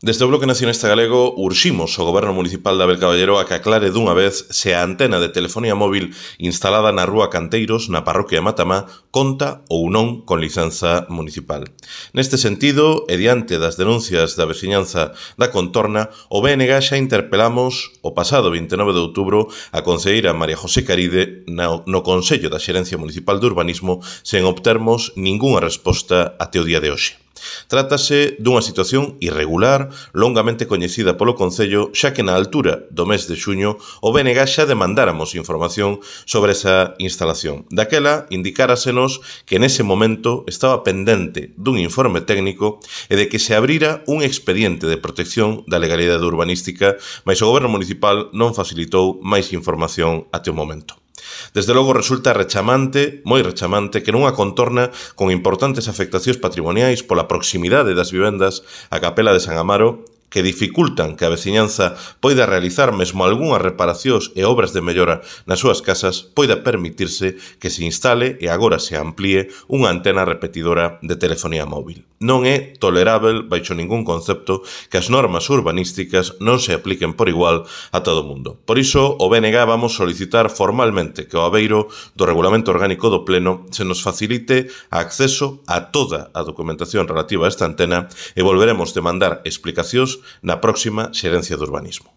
Desde o Bloque Nacionalista Galego urximos ao Goberno Municipal de Abel Caballero a que aclare dunha vez se a antena de telefonía móvil instalada na Rúa Canteiros, na parroquia de Matamá, conta ou non con licenza municipal. Neste sentido, e diante das denuncias da veciñanza da contorna, o BNG xa interpelamos o pasado 29 de outubro a concelleira María José Caride no Consello da Xerencia Municipal de Urbanismo sen obtermos ningunha resposta até o día de hoxe. Trátase dunha situación irregular, longamente coñecida polo Concello, xa que na altura do mes de xuño o BNG xa demandáramos información sobre esa instalación. Daquela, indicarásenos que nese momento estaba pendente dun informe técnico e de que se abrira un expediente de protección da legalidade urbanística, mais o Goberno Municipal non facilitou máis información até o momento. Desde logo resulta rechamante, moi rechamante, que nunha contorna con importantes afectacións patrimoniais pola proximidade das vivendas á Capela de San Amaro, que dificultan que a veciñanza poida realizar mesmo algunhas reparacións e obras de mellora nas súas casas, poida permitirse que se instale e agora se amplíe unha antena repetidora de telefonía móvil. Non é tolerável, baixo ningún concepto, que as normas urbanísticas non se apliquen por igual a todo o mundo. Por iso, o BNG vamos solicitar formalmente que ao abeiro do Regulamento Orgánico do Pleno se nos facilite acceso a toda a documentación relativa a esta antena e volveremos demandar explicacións na próxima Xerencia de Urbanismo.